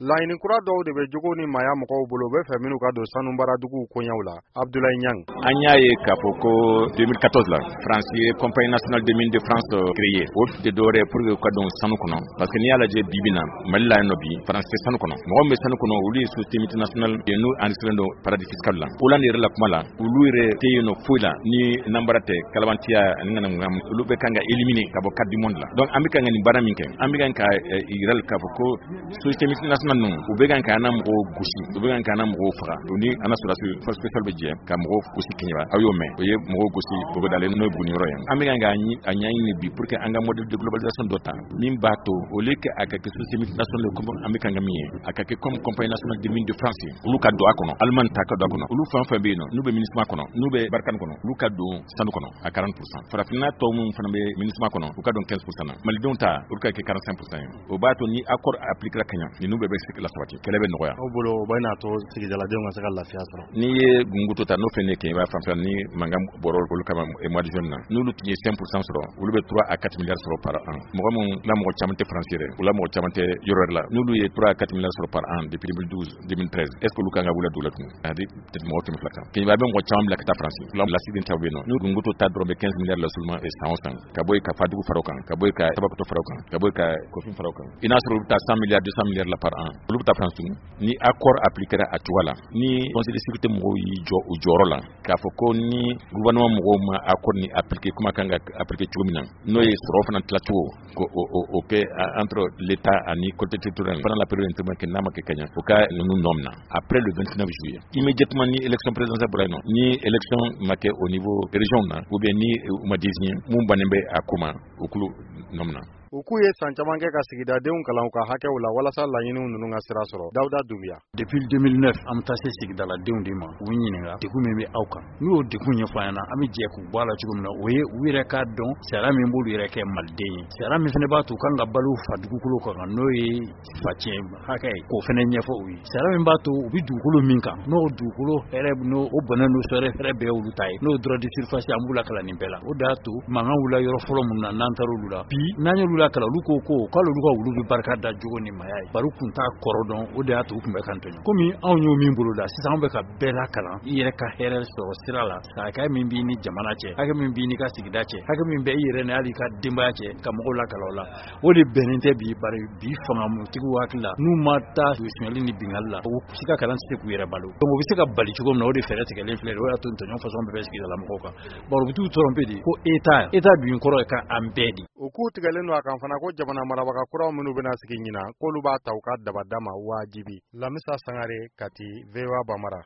Laɲini kura dɔw de bɛ jogo ni maaya mɔgɔw bolo, u bɛ fɛ minnu ka don sanubaraduguw koɲɛw la. Abdoulaye Niang. An y'a ye k'a fɔ ko 2014 la, France ye Compagnie nationale des mines de France créé. O tɛ dɔwɛrɛ pour que u ka don sanu kɔnɔ, parce que n'i y'a lajɛ bi bi na, Mali la yan nɔ bi, France tɛ sanu kɔnɔ. Mɔgɔ min bɛ sanu kɔnɔ, olu ye société multinationale ye, n'u enregistré don paradis fiscal la. Hollande yɛrɛ la kuma la, olu yɛrɛ tɛ yen nɔ foyi la ni nanbara tɛ, kalabantiya ani ŋanaŋanamu. Olu bɛ kan ka éliminer ka bɔ carte du monde la. Donc an bɛ kan ka nin baara min kɛ, an bɛ kan ka yira k'a fɔ ko société multinationale ninnu, u bɛ kan k'an na mɔgɔw gosi, u bɛ kan k'an na mɔgɔw faga. U ni an na sɔrɔdasi force spéciale bɛ jɛ ka mɔgɔw gosi Keɲeba. Aw y'o mɛn, o ye mɔgɔw gosi Bogodalen, n'o ye Buguni yɔrɔ ye. An bɛ kan k'a ɲɛɲini bi pour que an ka modèle de globalisation dɔ ta min b'a to, au lieu que a ka kɛ société multinationale comme an bɛ kan ka min ye, a ka kɛ comme Compagnie nationale des mines de France. Olu ka don a kɔnɔ, Allemagne ta ka don a kɔnɔ, olu fɛn fɛn bɛ yen nɔ, n'u bɛ MINUSMA kɔnɔ, n'u bɛ Barkhane kɔnɔ, olu ka don sanu kɔnɔ a 40%. Farafinna tɔw minnu fana bɛ MINUSMA kɔnɔ, u ka don 15% na. Malidenw ta, olu ka kɛ 45% ye. O b'a to ni accord appliquera ka ɲa, ninnu bɛɛ bɛ se ka lasabati, kɛlɛ bɛ nɔgɔya. Aw bolo, o bɛ n'a to sigidaladenw ka se ka lafiya sɔrɔ? N'i ye Gunguto ta, n'o fɛn ne Keɲeba fanfɛ ni mankan bɔra olu kama mois de juin na, n'olu tun ye 5% sɔrɔ, olu bɛ 3 à 4 milliards sɔrɔ par an. Mɔgɔ minnu la, mɔgɔ caman tɛ France yɛrɛ, u la mɔgɔ caman tɛ yɔrɔ wɛrɛ la, n'olu ye 3 à 4 milliards sɔrɔ par an depuis 2012, 2013, est ce que olu kan ka wuli dugu la tun a di peut-être mɔgɔ 200 kan? Keɲeba bɛ mɔgɔ caman bila ka taa France la, lasigiden caman bɛ yen nɔ. N'u Gunguto ta dɔrɔn bɛ 15 milliards la seulement san o san, ka bɔ yen ka Fadugu fara o kan, ka bɔ yen ka Tabakoto fara o kan, ka bɔ yen ka Kofin fara o kan, i n'a sɔrɔ olu bɛ taa 100 milliards, 200 milliards la par an. Olu bɛ taa France tun ni accord appliquera a cogoya la, ni Conseil de sécurité mɔgɔw y'i jɔ u jɔyɔrɔ la k'a fɔ ko ni gouvernement mɔgɔw ma accord ni appliquer kuma kan ka appliquer cogo min na, n'o ye sɔrɔ fana tilacogo ko o kɛ entre l'État ani collectivité territoriale pendant la période intermédiaire, n'a ma kɛ ka ɲɛ, o ka ninnu nɔ minɛ après le 29 juillet immédiatement, ni élection présidentielle bɔra yen nɔ, ni élection ma kɛ au niveau région na ou bien ni u ma désigner mun bannen bɛ a ko ma, o kulu nɔ minɛ. U k'u ye san caman kɛ ka sigidadenw kalan u ka hakɛw la walasa laɲiniw ninnu ka sira sɔrɔ. Dawuda Dunbiya. Depuis 2009, an bɛ taa se sigidaladenw de ma k'u ɲininka degun min bɛ aw kan. N'u y'o degun ɲɛfɔ an ɲɛna, an bɛ jɛ k'u bɔ a la cogo min na. O ye u yɛrɛ k'a dɔn sariya min b'olu yɛrɛ kɛ maliden ye, sariya min fana b'a to u kan ka balo fa dugukolo kan, n'o ye facɛn hakɛ ye, k'o fana ɲɛfɔ u ye, sariya min b'a to u bɛ dugukolo min kan, n'o dugukolo hɛrɛ, n'o o bɔnɛ, n'o sɔrɔ hɛrɛ bɛɛ olu ta ye, n'o droit de surface. An b'u lakalan nin bɛɛ la. O de y'a to mankan wulila yɔrɔ fɔlɔ mun na, n'an taara olu la bi, n'an y'olu lakalan, olu ko ko k'ale olu ka wulu bɛ barika da jogo ni maya ye, bari u kun t'a kɔrɔ dɔn. O de y'a to u kun bɛ kan tɔɲɔ. Komi anw y'o min bolo da sisan, anw bɛ ka bɛɛ lakalan i yɛrɛ ka hɛrɛ sɔrɔ sira la, hakɛ min b'i ni jamana cɛ, hakɛ min b'i n'i ka sigida cɛ, hakɛ min bɛ i yɛrɛ ni hali i ka denbaya cɛ, ka mɔgɔw lakalan o la. O de bɛnnen tɛ bi, bari bi fangamutigiw hakili la, n'u ma taa sonyali ni bingali la, u si ka kalan tɛ se k'u yɛrɛ balo. Donc o bɛ se ka bali cogo min na, o de fɛɛrɛ tigɛlen filɛ. O y'a to tɔɲɔ fasɔn bɛɛ bɛ sigidala mɔgɔw kan, bari u bɛ t'u tromper de ko État. État dun kɔrɔ ye ka an bɛɛ di. U k'u tigɛlen don a kan fana ko jamana marabaga kuraw minnu bɛna sigi ɲinan, k'olu b'a ta u ka dabada ma wajibi. Lamisa Sangare, Kati, VOA Bambara.